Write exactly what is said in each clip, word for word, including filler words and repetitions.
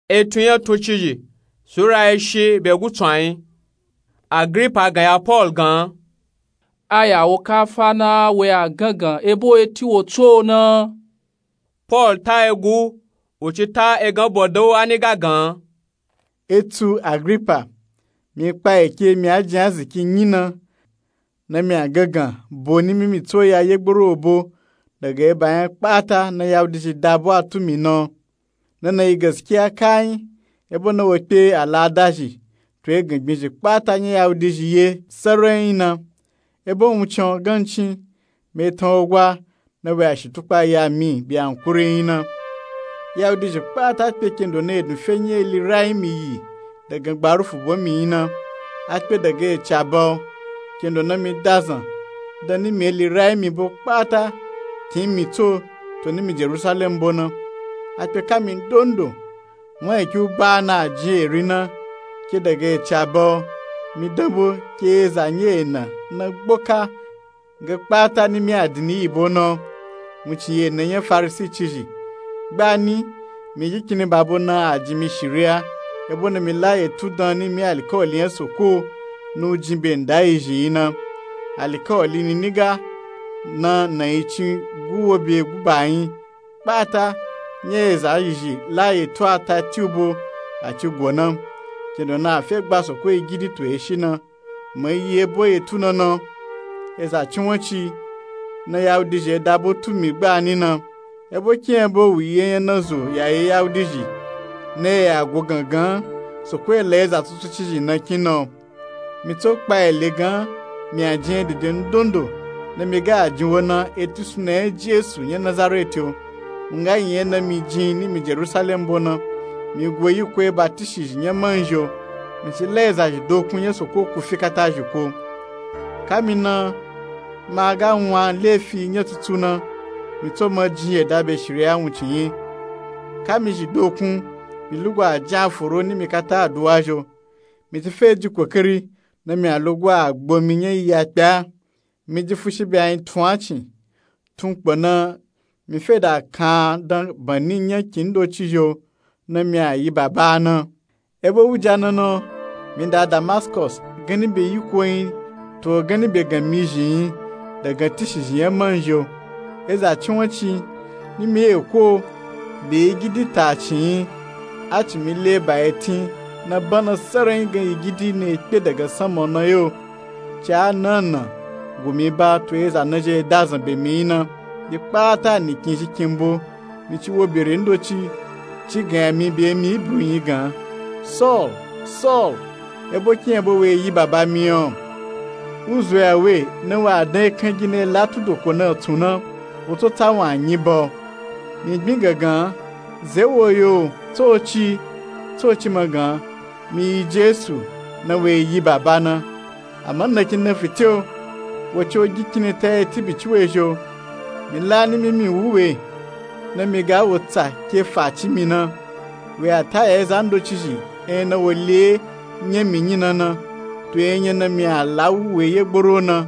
Etun nya tuncizhi sura eshi be gutsu ayin. Agripa gan ya Pọl gan. A ya wo kafa na wo ya gangan ebo eti wo tso na. Pọl ta egu, wu ci ta egan bodo ani ga gan. Etu Agripa, mi kpa eke mi a jin aziki nyi na, na mi a gangan bo ni mimi tso ya yegboro obo daga eba nya kpata na Yahudizhi dabo a tu mi na. Nana yi gaskiya kayin, ebo na wo kpe aladazhi to egangbinzhi kpata nya Yahudizhi ye sarayin na. Ebo wuncin gancin mi tan ogwa na we a shitukpa ya mi be ankuri yin na. Yahudizhi kpata kpe kendo na edun fe nya eli rayin mi yi daga gbarufu bo mi yin na. A kpe daga eci aba o, kendo na mi dazan dan ni mi eli rayin mi bo kpata kin mi tso to ni mi Jerusalem bo na. A kpe ka mi ndondo wan eki u ba na a jin eri na ke daga eci aba o, mi dan bo ke eza nya ena na gboka ga kpata ni mi adini yi bo na o. Wuncin yi ena nya Farisi cizhi. Gbani mi gikini babo na a jin mi shiriya, ebo na mi la etu dan ni mi alikawali nya Soko na u jin be nda yizhi yi na. Alikawali ni niga na na yi cin gu wo be gu ba yin kpata nya eza yizhi la etu a ta ti u bo a ci go na. Kendo na a fe gba Soko yigidi to eshi na. Mo yi ebo etu na na, eza cinwanci na Yahudizhi dabo tu mi gbani na. Ebo kin ebo wu yi enya na zo ya ye Yahudizhi na ya go gangan Soko ela eza tutu cizhi na kin na. Mi tso kpa ele gan mi a jin dede ndondo na mi ga a jin wo na eti suna nya Jesu nya Nazareti o. Nga yin ena mi jin ni mi Jerusalem bo na, mi go yiko eba tishizhi nya manzhi o. Mi ci la ezazhi dokun nya Soko ku fi kata zhi ko. Ka mi na ma ga wan lefi nya tutu na, mi tso ma jin yeda be shiriya wuncin yi. Ka mi zhi dokun, mi lugwa a jin a foro ni mi kata aduwa zhi o. Mi ti fe ji kokari na mi a lugwa a gbo mi nya yi ya kpe a. Mi ji fushi be a yin tun a cin tun kpo na mi fe da kan dan bani nya kin doci zhi o na mi a yi baba na. Ebo wuja na na, mi da Damaskos gani be yiko yin to gani be gan mi zhi yin daga tishizhi nya manzhi o. Eza cinwanci ni mi eko be yigidi ta cin yin a cin mi le ba etin na bana sarayin gan yigidi na kpe daga sama na yo. Ci a na na gumi ba to eza na zhi dazan be mi yin na. Yi kpata ni kin zhi kin bo mi ci wo bere ndoci ci gan ya mi be mi Ibru yin gan, Saul, Saul, ebo kin ebo we yi baba mi o? U zo ya we na wa dan ekan gi na la tudo ko na tun na, wo tso ta wan yin ba o. Mi gbin gangan, ze wo yo tsoci tsoci ma gan, mi yi Jesu na we yi baba na. Ama na kin na fite o, wo ci o gi kini ta eti bi ci we zhi o. Mi la ni mi mi wu we na mi ga wo tsa ke fa ci mi na. We a ta ya eza ndoci zhi enya na wo le nya mi yin na na, to enya na mi a la wu we yegboro na.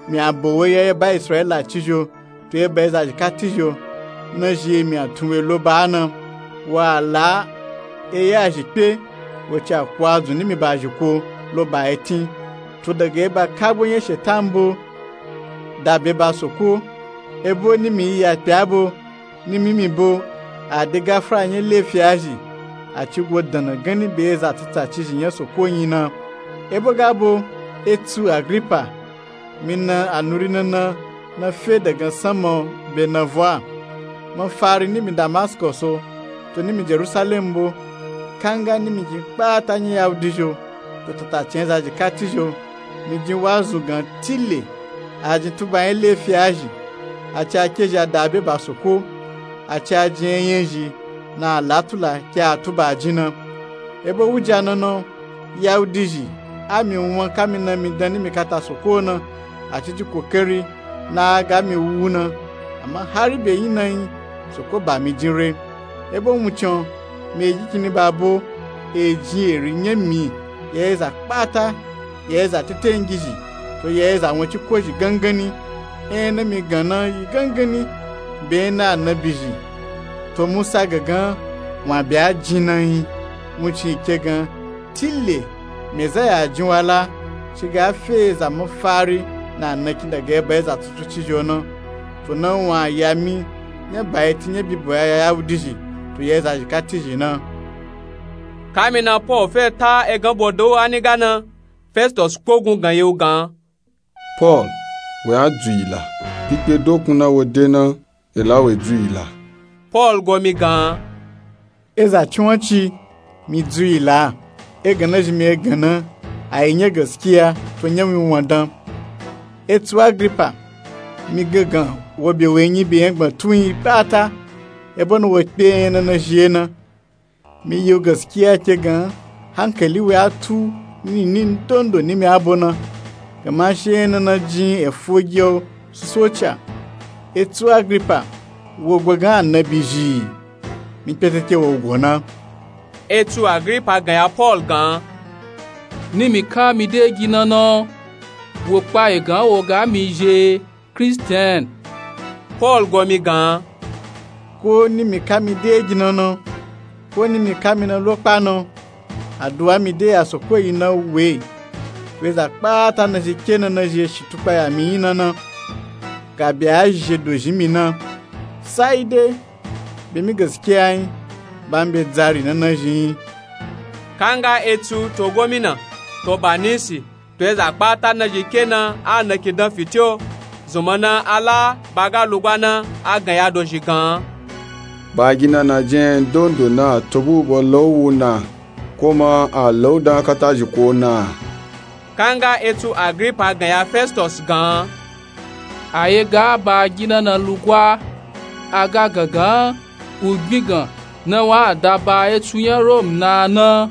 Mi a bo wo ya eba Israila ci zhi o to eba ezazhi kati zhi o. Na zhi mi a tun we lo ba na, wa la eya zhi kpe wo ci a ku a zun ni mi ba zhi ko lo ba etin. To daga eba kagbo nya shetan bo da be ba Soko, ebo ni mi yi ya kpe a bo ni mi mi bo a de gafara nya lefi a zhi a ci go dana gani be eza tuta cizhi nya Soko yin na. Ebo ga bo, etu Agripa, mi na anuri na na na fe daga sama o be na vwa. Ma fari ni mi Damaskos o to ni mi Jerusalem bo, kanga ni mi jin kpata nya Yahudizhi o to tatacin ezazhi kati zhi o. Mi jin wazu gan tile a jin tuba nya lefi a zhi, a ci a ke zhi a da be ba Soko, a ci a jin enya zhi na a la tula ke a tuba a jin na. Ebo wuja na na, Yahudizhi a mi wan ka mi na mi dan ni mi kata Soko na, a ci ji kokari na a ga mi wu na. Ama hari be yin na yin Soko ba mi jin re. Ebo wuncin o, mi e gi kini ba bo e jin eri nya mi ya eza kpata, ya eza tetengizhi to ya eza wancikozhi gangani. Enya na mi gan na yi gangani be nya na anabizhi. To Musa gangan wun a bya jin na nyi. Wuncin ke gan, tille mezaya a jin wa la, ci ga a fe eza mafari na anakin daga eba eza tutu cijo na. To na wun a ya mi nya ba eti nya bibo ya yawudizhi to ya eza zhi kati zhi na. Kamina paul fe ta egan bodo ani ga na, festus kpogun gan ye u gan. Paul, we a dzu yi la. Pipye dokun na wo de na, e la we dzu yi la. Paul go mi gan. Eza ciwanci mi dzu yi la. Egan na zhi mi egan na, a yi nya gaskiya to nya winwan dan. Etsu agripa, mi gangan wo be we nyi be nya gban tun yi kpata, ebo na wo kpe nya na na zhi ye na. Mi yi u gaskiya ke gan, hankali we a tu ni ni ndondo ni mi abo na. Gama she na na jin efu gi o susoca. Etsu agripa, wo gba gan anabi zhi? Mi kpeteke wo go na. Etsu agripa gan ya paul gan, ni mi ka mi de gi na na, wo kpa egan wo ga mi zhe kristian. Paul go mi gan, ko ni mi ka mi de gi na na, ko ni mi ka mi na lo kpa na, aduwa mi de ya soko yi na we, we za kpata na zhi ke na na zhi eshi tukpa ya mi yi na na, ga be a zhi zhe dozhi mi na. Sai de be mi gaskiya nyi, ba mi be dzari na na zhi nyi. Kanga etsu to gomina, to banisi, to eza kpata na zhi ke na a nakin dan fitiyo, zunma na a la ba ga lugba na a gan ya dozhi gan. Ba gi na na jin ndondo na to bu bo lo wu na, ko ma a lo dan kata zhi ko na. Kanga etsu agripa gan ya festus gan, a ye ga ba gi na na lugba, a ga gangan u gbin gan na wa a da ba etsu nya rom na na.